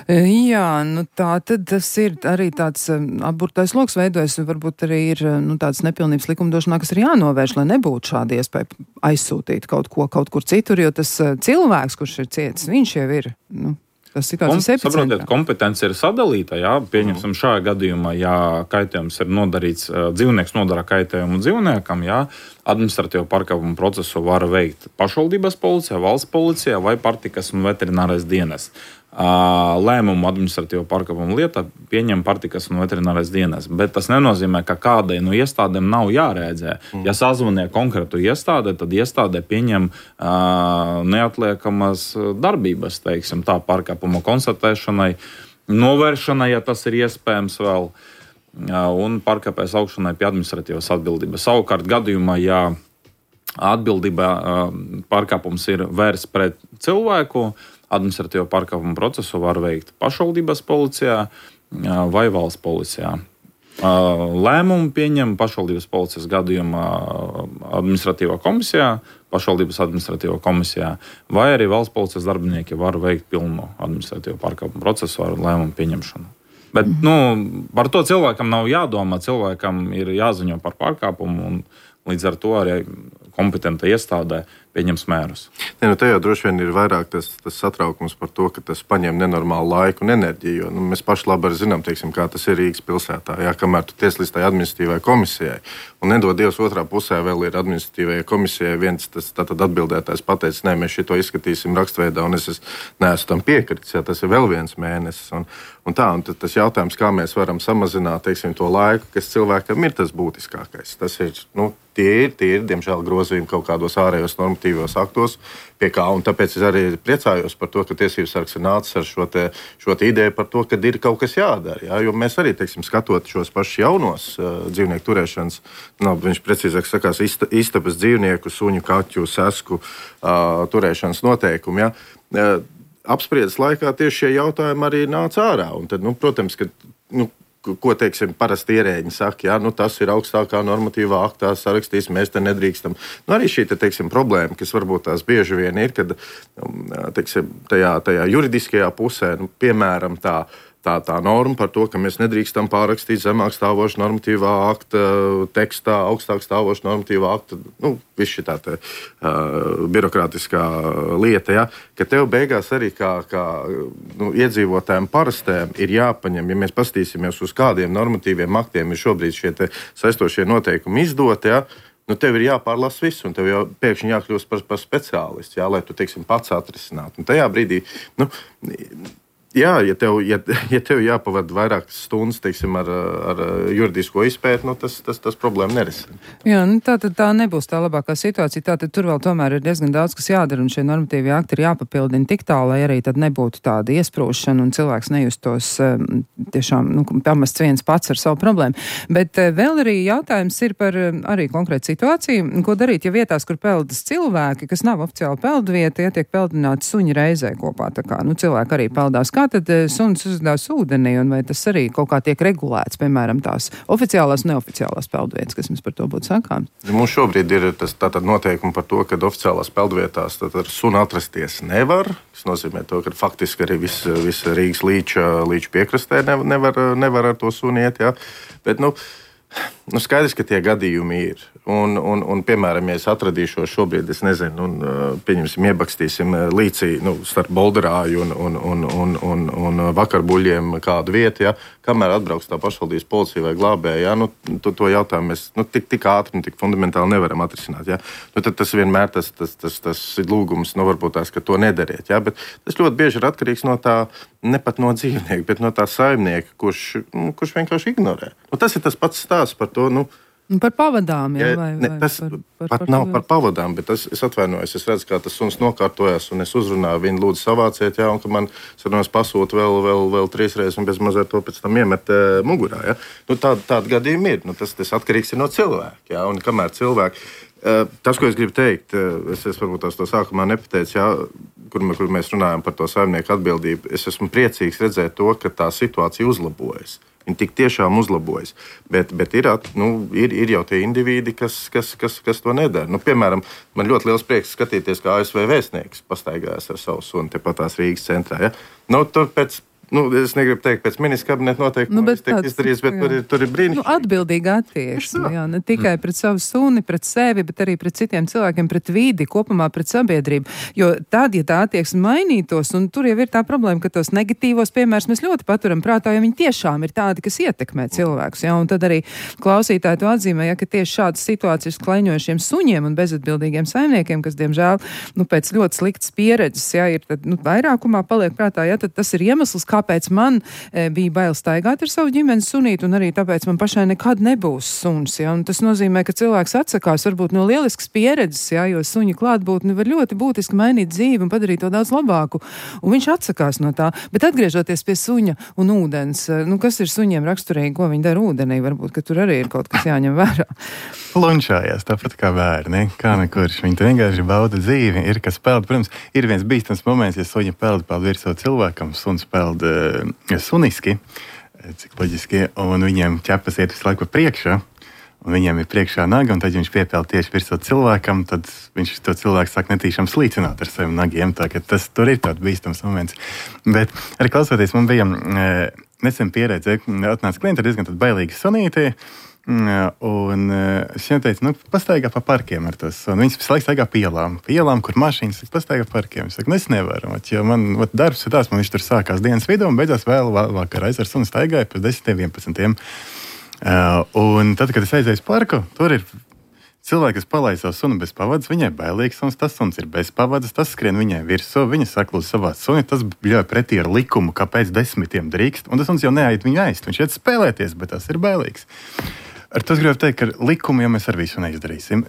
Jā, tā tad tas ir arī tāds apburtais loks veidojas, un varbūt arī ir tāds nepilnības likumdošanā, kas ir jānovērš, lai nebūtu šāda iespēja aizsūtīt kaut kur citur, jo tas cilvēks, kurš ir cietis, viņš jau ir, tas situācijas epicentrā. Saprotiet, kompetence ir sadalīta, jā, pieņemsim šajā gadījumā, ja kaitējums ir nodarīts, dzīvnieks nodara kaitējumu dzīvniekam, jā, administratīvo pārkāpumu procesu var veikt pašvaldības policija, valsts policija vai pārtikas un veterinārais dienests. Lēmumu administratīvo pārkāpumu lietā pieņem pārtikas un veterinārais dienests. Bet tas nenozīmē, ka kādai no iestādēm nav jārēģē. Ja sazvanīja konkrētu iestādi, tad iestādē pieņem neatliekamas darbības, teiksim, tā pārkāpuma konstatēšanai, novēršanai, ja tas ir iespējams vēl, un pārkāpējas augšanai pie administratīvas atbildības. Savukārt gadījumā, ja atbildība pārkāpums ir vērsts pret cilvēku, administratīvo pārkāpumu procesu var veikt pašvaldības policijā vai valsts policijā. Lēmumu pieņem pašvaldības policijas gadījumā administratīvā komisijā, pašvaldības administratīvā komisijā, vai arī valsts policijas darbinieki var veikt pilnu administratīvo pārkāpumu procesu ar lēmumu pieņemšanu. Bet par to cilvēkam nav jādomā, cilvēkam ir jāziņo par pārkāpumu, un līdz ar to arī kompetenta iestādē pieņems mērus. Te jau droši vien ir vairāk tas satraukums par to, ka tas paņem nenormālu laiku un enerģiju. Jo, mēs paši labi zinām, teiksim, kā tas ir Rīgas pilsētā. Jā, kamēr tu tieslies tai administratīvai komisijai, un nedod Dievs otrā pusē vēl ir administratīvajai komisijai viens tātad atbildētājs pateicis, nē, mēs šito izskatīsim rakstveidā, un es neesmu tam piekritis, jā, tas ir vēl viens mēnesis. Un tad tas jautājums, kā mēs varam samazināt, teiksim, to laiku, kas cilvēkam ir tas būtiskākais. Tas ir, tie ir, diemžēl, grozījumi kaut kādos ārējos normatīvos aktos, pie kā, un tāpēc es arī priecājos par to, ka Tiesības sargs ir nācis ar šo ideju par to, ka ir kaut kas jādara. Jā, jo mēs arī, teiksim, skatot šos pašus jaunos dzīvnieku turēšanas, viņš precīzāk sakās, istabas dzīvnieku, suņu, kaķu, sesku turēšanas noteikumu, jā. Apspriedes laikā tieši šie jautājumi arī nāca ārā. Un tad, protams, ka, ko, teiksim, parasti ierēģi saka, jā, tas ir augstākā normatīvā aktā sarakstīs, mēs te nedrīkstam. Arī šī, teiksim, problēma, kas varbūt tās bieži vien ir, kad, teiksim, tajā juridiskajā pusē, piemēram, tā norma par to, ka mēs nedrīkstam pārrakstīt zemāk stāvošu normatīvā akta tekstā, augstāk stāvošu normatīvā akta, viss šī tā birokrātiskā lieta, ja, ka tev beigās arī kā iedzīvotājiem parastēm ir jāpaņem, ja mēs paskatīsimies uz kādiem normatīviem aktiem ir šobrīd šie saistošie noteikumi izdoti, ja, tev ir jāpārlasa viss, un tev jau pēkšņi jākļūst par speciālistu, jā, lai tu, teiksim, pats atrisinātu. Un tajā brīdī, jā, ja tev jāpavada vairākas stundas, teiksim, ar juridisko izpēti, tas problēma nerisina. Jā, tā nebūs tā labākā situācija. Tātad tur vēl tomēr ir diezgan daudz, kas jādara, un šie normatīvie akti ir jāpapildina tik tālu, lai arī tad nebūtu tāda iesprūšana, un cilvēks nejustos tiešām pamests viens pats ar savu problēmu. Bet vēl arī jautājums ir par arī konkrētu situāciju, ko darīt, ja vietās, kur peldas cilvēki, kas nav oficiāli peldvieta, ja tiek peldināti suņi reizē kopā. Tā kā cilvēki arī peldās. Kā tad suns uzdās ūdenī, un vai tas arī kaut kā tiek regulēts, piemēram, tās oficiālās un neoficiālās peldvietas, kas mums par to būtu sakāms? Mums šobrīd ir tātad noteikumi par to, ka oficiālās peldvietās sunu atrasties nevar. Tas nozīmē to, ka faktiski arī visa Rīgas līča piekrastē nevar ar to suni iet, jā. Bet, skaidrs, ka tie gadījumi ir. Un piemēram, ja es atradīšos šobrīd, es nezinu, pieņemsim, iebakstīsim līcī starp Bolderāju un Vakarbuļiem kādu vietu, ja, kamēr atbrauks tā pašvaldības policija vai glābēja, ja, to jautājumu mēs tik ātri un tik fundamentāli nevaram atrisināt. Ja. Tad tas vienmēr tas ir lūgums, varbūt tās, ka to nedariet. Ja, bet tas ļoti bieži ir atkarīgs no tā, ne pat no dzīvnieka, bet no tā saimnieka, kurš vienkārši ignorē. Tas ir tas pats stāsts par to, par pavadām, jā, tas pat nav par pavadām, bet es atvainojos, es redzu, kā tas suns nokārtojas, un es uzrunāju viņu, lūdzu savāciet, jā, un ka man pasūta vēl 3 reizes, un bez mazliet to pēc tam iemet mugurā, jā. Tādi gadījumi ir, tas atkarīgs ir no cilvēka, jā, un kamēr cilvēki, tas, ko es gribu teikt, es varbūt to sākumā nepateicu, jā, kur mēs runājam par to saimnieku atbildību, es esmu priecīgs redzēt to, ka tā situācija uzlabojas. Viņi tik tiešām uzlabojas. Bet ir jau tie indivīdi, kas to nedara. Piemēram, man ļoti liels prieks skatīties, kā ASV vēstnieks pastaigājas ar savu suni tepatās Rīgas centrā. Ja? Tur pēc Es negribu teikt pēc ministra kabineta noteikuma, bet tur ir brīnišķīgi. Atbildīga attieksme, ne tikai pret savu suni, pret sevi, bet arī pret citiem cilvēkiem, pret vidi, kopumā pret sabiedrību. Jo tad, ja tā attieksme mainītos, un tur jau ir tā problēma, ka tos negatīvos piemērus mēs ļoti paturam prātā, jo viņi tiešām ir tādi, kas ietekmē cilvēkus. Ja? Un tad arī klausītāji to atzīmē, ka tieši šādas situācijas klaiņojušiem suņiem un bezatbildīgiem saimniekiem, kas, diemžēl, pēc ļoti sliktas pieredzes, ir tad, vairākumā paliek prātā, tad tas ir iemesls, kāpēc man bija bail staigāt ar savu ģimenes sunīti, un arī tāpēc man pašai nekad nebūs suns. Ja? Un tas nozīmē, ka cilvēks atsakās varbūt no lieliskas pieredzes, jo suņa klātbūtne var ļoti būtiski mainīt dzīvi un padarīt to daudz labāku. Un viņš atsakās no tā. Bet atgriežoties pie suņa un ūdens, kas ir suņiem raksturīgi, ko viņi dara ūdenī, varbūt, ka tur arī ir kaut kas jāņem vērā. Lunčājās, tāpat kā bērni, kā nekurš. Viņi vienkārši bauda dzīvi, ir kas peld. Protams, ir viens bīstams moments, ja suņa peld virsū cilvēkam, suns peld suniski, cik loģiski, un viņiem ķepas iet visu laiku pa priekšā, un viņiem ir priekšā naga, un tad, ja viņš piepeld tieši virsū cilvēkam, tad viņš to cilvēku sāk netīšām slīcināt ar saviem nagiem, tā ka tur ir tāds bīstams moments. Bet arī klausoties, man bija nesen pieredze, atnāca klienti ar diezgan bailīgi sunīti, un es viņam teicu, pastaigā pa parkiem ar to sunu. Viņas visu laiku staigā pielām, kur mašīnas pastaigā parkiem. Es saku, es nevaru, jo man darbs ir tāds, man viņš tur sākās dienas vidū un beidzās vēl vakarā. Es ar sunu staigāju pēc 10-11. Un tad, kad es aizēju uz parku, tur ir cilvēki, kas palaid savu sunu bez pavadas, viņai bailīgs suns, tas suns ir bez pavadas, tas skrien viņai virsū, viņa saklūst savā suni, tas bļauj pretī ar likumu, kāpēc 10 drīkst, un tas suns jau neaiet viņu ēst, viņš iet spēlēties, bet tas ir bailīgs. Ar to es gribu teikt, ka likumu jau mēs ar visu neizdarīsim.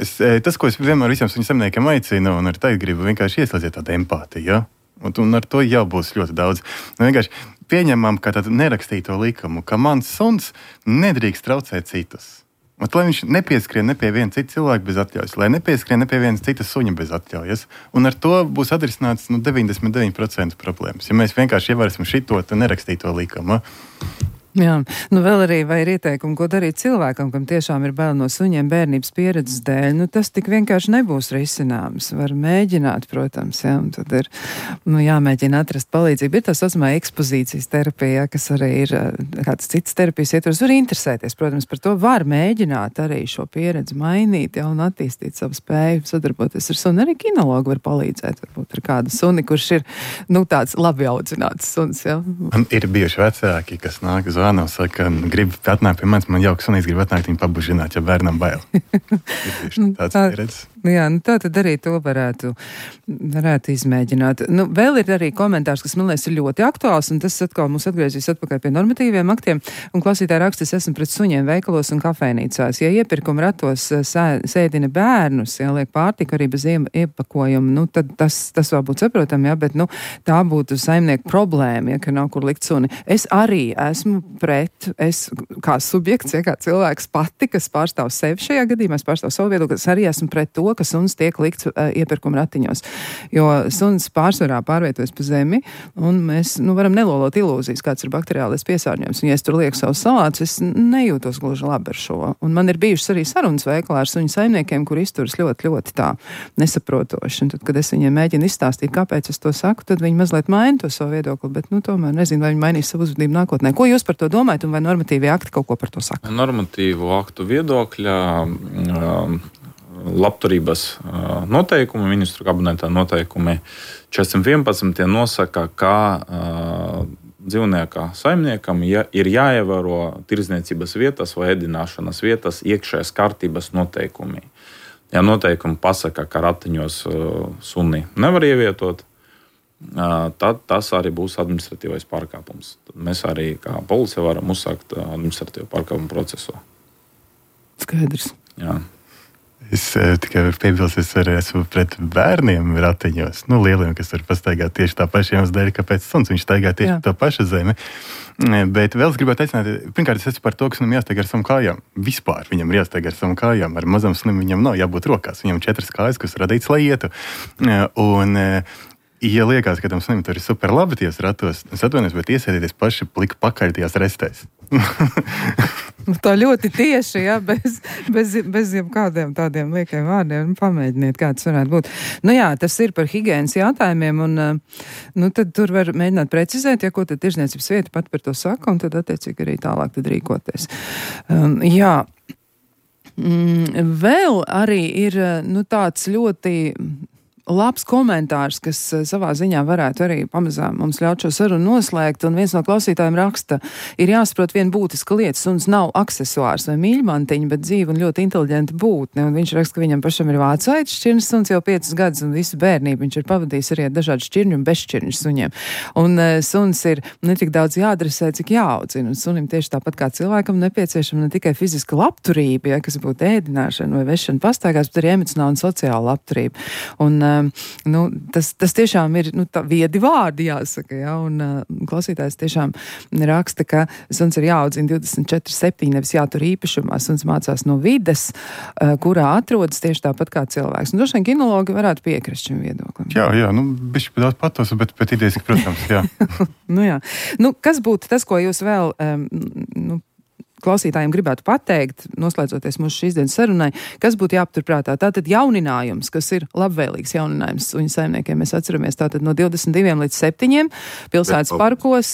Tas, ko es vienmēr visiem suņu saimniekiem aicinu, un ar teikt gribu vienkārši ieslēdziet tādu empātiju, ja? Un ar to jau būs ļoti daudz. Vienkārši pieņemam, ka tādu nerakstīto likumu, ka mans suns nedrīkst traucēt citus. Lai viņš nepieskrien ne pie viena cita cilvēka bez atļaujas, lai nepieskrien ne pie viena cita suņa bez atļaujas. Un ar to būs atrisināts 99% problēmas. Ja mēs vienkārši ievērosim šito nerakstīto likumu. Jā, vēl arī vai ir ieteikumi, ko darīt cilvēkam, kam tiešām ir bail no suņiem bērnības pieredzes dēļ. Tas tik vienkārši nebūs risināms. Var mēģināt, protams, un tad ir jāmēģina atrast palīdzību. Ir tā saucamā ekspozīcijas terapija, kas arī ir kāds cits terapijas ietvers. Var interesēties, protams, par to var mēģināt arī šo pieredzi mainīt, un attīstīt savu spēju sadarboties ar suni. Arī kinologi var palīdzēt, varbūt ar kādu suni, kurš ir, tāds labi audzināts suns, Man ir bijuši vecāki, kas nāk uz saka, grib atnākt pie manis, man jauks sunīs grib atnākt viņu pabužināt, ja bērnam bail. Tāds pieredzes. Jā, tā tad arī to varētu izmēģināt. Vēl ir arī komentārs, kas man liekas ir ļoti aktuāls, un tas atkal mums atgriezīs atpakaļ pie normatīviem aktiem. Un klausītāji raksta, es esmu pret suņiem veikalos un kafejnīcās. Ja iepirkuma ratos sēdina bērnus, liek pārtiku arī bez iepakojuma, tad tas vēl būtu saprotam, bet tā būtu saimnieku problēma, ka nav kur likt suni. Es arī esmu pret, kā subjekts, kā cilvēks pati, kas pārstāv sevi šajā gadījumā, es pārstāvu savu viedokli, es arī esmu pret to, ka suns tiek likts iepirkuma ratiņos. Jo suns pārsvarā pārvietojas pa zemi, un mēs varam nelolot ilūzijas, kāds ir bakteriālais piesārņojums. Un ja es tur lieku savus salātus, es nejūtos gluži labi ar šo. Un man ir bijušas arī sarunas veikalā ar suņu saimniekiem, kur izturas ļoti, ļoti tā nesaprotoši. Un tad, kad es viņiem mēģinu izstāstīt, kāpēc es to saku, tad viņi mazliet maina to savu viedokli, bet tomēr nezinu, vai viņi mainīs savu uzvedību nākotnē. Ko jūs par to domājat, un vai normatīvie akti kaut ko par to saka? Normatīvu aktu viedokļa labturības noteikumi, ministru kabinetā noteikumi 411 nosaka, ka dzīvnieka saimniekam ir jāievēro tirdzniecības vietas vai ēdināšanas vietas iekšējās kārtības noteikumi. Ja noteikumi pasaka, ka ratiņos suni nevar ievietot, tad tas arī būs administratīvais pārkāpums. Tad mēs arī kā policija varam uzsākt administratīvu pārkāpumu procesu. Skaidrs. Jā. Es tikai varu piebilst, es arī esmu pret bērniem ratiņos, lieliem, kas var pastaigāt tieši tā paša iemesla dēļ, kāpēc suns viņš staigā tieši to pašu zemi. Bet vēl es gribētu aicināt, pirmkārt, es esmu par to, ka sunim jāstaigā ar savām kājām. Vispār viņam ir jāstaigā ar savām kājām. Ar mazam sunim viņam nav jābūt rokās. Viņam 4 kājas, kas radīts, lai ietu. Un ja liekas, ka tam sunim tur ir super labi tajos ratos, es atvainojos, bet iesēdieties paši plika pakaļ tajās restēs. Tā ļoti tieši, jā, bez jebkādiem tādiem liekiem vārdiem. Pamēģiniet, kā tas varētu būt. Nu jā, tas ir par higienas jautājumiem, un tad tur var mēģināt precizēt, ja ko tad tirzniecības vieta pat par to saka, un tad attiecīgi arī tālāk tad rīkoties. Jā. Vēl arī ir, tāds ļoti labs komentārs, kas savā ziņā varētu arī pamazām mums ļaut šo sarunu noslēgt, un viens no klausītājiem raksta, ir jāsaprot viena būtiska lieta, suns nav aksesuārs vai mīļmantiņa, bet dzīva un ļoti inteliģenta būtne, un viņš raksta, ka viņam pašam ir vācaitis šķirnes suns jau 5 gadus, un visu bērnību viņš ir pavadījis arī ar dažādu šķirņu un bezšķirņu suņiem. Un suns ir ne tik daudz jāadresē, cik jāaudzina, un sunim tieši tāpat kā cilvēkam nepieciešama ne tikai fiziska labturība, ja, kas būtu ēdināšana vai vešana pastaigās, bet arī emocionāla un sociāla labturība. Un tas tiešām ir tā viedi vārdi, jāsaka, ja, un klausītājs tiešām raksta, ka suns ir jāaudzina 24/7, nevis jātur īpašumā. Suns mācās no vides, kurā atrodas tieši tāpat kā cilvēks. Un droši vien kinologi varētu piekrist šim viedoklim. Jā, bišķi daudz patos, bet idejas, protams, jā. Jā. Kas būtu tas, ko jūs vēl klausītājiem gribētu pateikt, noslēdzoties mūsu šīs dienas sarunai, kas būtu jāpaturprātā? Tātad jauninājums, kas ir labvēlīgs jauninājums suņu saimniekiem. Mēs atceramies tātad no 22 līdz 7 pilsētas parkos,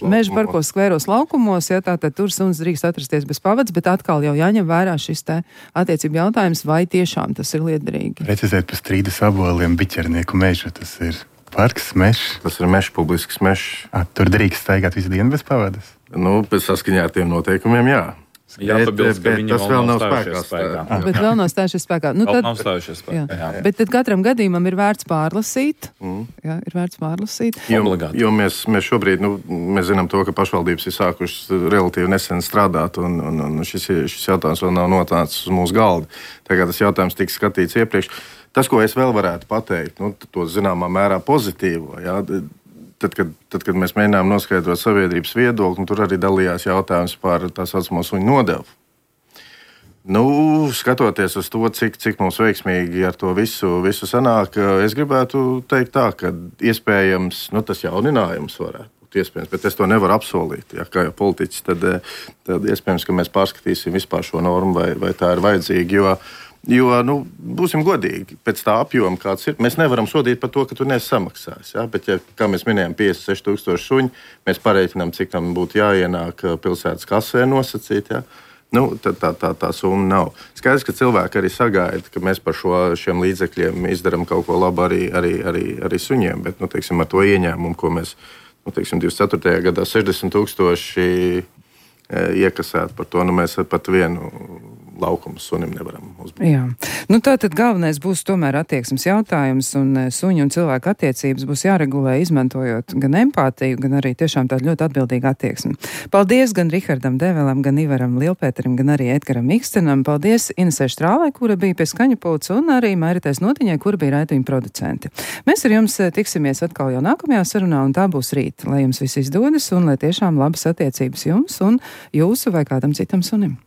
meža parkos, skvēros laukumos, tātad tur suns drīkst atrasties bez pavads, bet atkal jau jāņem vērā šis te attiecību jautājums, vai tiešām tas ir liederīgi. Precizēt par strīdas aboliem biķernieku mežu, tas ir parks, mežs. Tas ir mežs, publisks mežs. Tur drīkst staigāt visu dienu bez pavadas? Pēc saskaņā ar tiem noteikumiem, jā. Jāpabilst, ka viņi tas vēl nav spēkā. Bet vēl nav stājušies spēkā. Nav stājušies spēkā. Jā. Bet tad katram gadījumam ir vērts pārlasīt. Jā, ir vērts pārlasīt. Jo mēs šobrīd, mēs zinām to, ka pašvaldības ir sākušas relatīvi nesen strādāt, un šis jautājums vēl nav nonācis uz mūsu galda. Tagad tas jautājums tika skatīts iepriekš. Tas, ko es vēl varētu pateikt, to zināmā mērā pozitīvo, jā, tad, kad mēs mēģinām noskaidrot sabiedrības viedokli, tur arī dalījās jautājums par tā saucamo suņu nodevu. Skatoties uz to, cik mums veiksmīgi ar to visu sanāk, es gribētu teikt tā, ka iespējams, tas jauninājums varētu būt iespējams, bet es to nevaru apsolīt. Ja, kā jau politiķis, tad iespējams, ka mēs pārskatīsim vispār šo normu, vai tā ir vajadzīga, jo būsim godīgi, pēc tā apjoma, kāds ir, mēs nevaram sodīt par to, ka tu neesi samaksājis. Ja? Bet, kā mēs minējām, 56,000 suņi, mēs pareiķinām, cik tam būtu jāienāk pilsētas kasē nosacīt. Ja? Tad tā summa nav. Skaidrs, ka cilvēki arī sagaida, ka mēs par šiem līdzekļiem izdarām kaut ko labu arī suņiem, bet, teiksim, ar to ieņēmumu, ko mēs, 24. gadā 60,000 iekasēt par to, mēs pat vienu laukumu sunim nevaram uzbūt. Jā. Tātad galvenais būs tomēr attieksmes jautājums, un suņu un cilvēku attiecības būs jāregulē, izmantojot gan empātiju, gan arī tiešām tādu ļoti atbildīgu attieksmi. Paldies gan Rihardam Develam, gan Ivaram Lielpēterim, gan arī Edgaram Ikstenam. Paldies Inesē Štrālai, kura bija pie skaņa pults, un arī Mairitai Notiņai, kura bija raidījuma producenti. Mēs ar jums tiksimies atkal jau nākamajā sarunā, un tā būs rīt. Lai jums viss izdodas, un lai tiešām labas attiecības jums un jūsu vai kādam citam sunim.